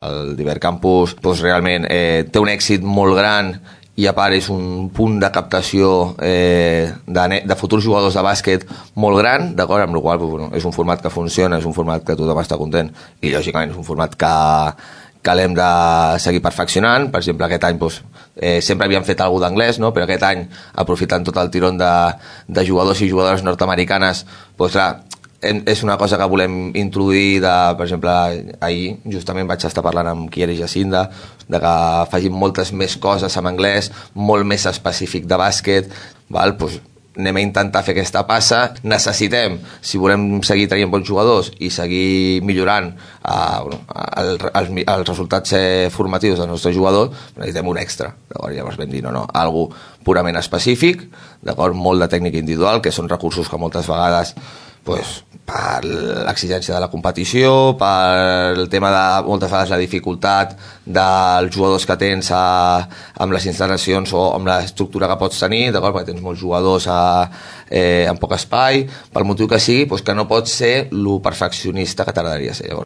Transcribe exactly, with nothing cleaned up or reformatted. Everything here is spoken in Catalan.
El d'Ibercampus doncs, realment eh, té un èxit molt gran i a part és un punt de captació eh, de, de futurs jugadors de bàsquet molt gran, d'acord, amb la qual cosa bueno, és un format que funciona, és un format que tothom està content i lògicament és un format que, que l'hem de seguir perfeccionant. Per exemple, aquest any doncs, eh, sempre havíem fet alguna d'anglès, no? Però aquest any, aprofitant tot el tirón de, de jugadors i jugadores nord-americanes, doncs clar, és una cosa que volem introduir de, per exemple, ahir justament vaig estar parlant amb Kier i Jacinda de que facin moltes més coses en anglès, molt més específic de bàsquet, val? Pues anem a intentar fer aquesta passa. Necessitem, si volem seguir traient bons jugadors i seguir millorant eh, bueno, el, els, els resultats eh, formatius dels nostres jugadors, necessitem un extra. Llavors vam dir, no, no, algo purament específic, molt de tècnica individual, que són recursos que moltes vegades pues, per l'exigència de la competició, per el tema de moltes vegades la dificultat dels jugadors que tens a, amb les instal·lacions o amb l'estructura que pots tenir, perquè tens molts jugadors a, eh, en poc espai, pel motiu que sigui, pues, que no pots ser lo perfeccionista que t'agradaria ser. Llavors,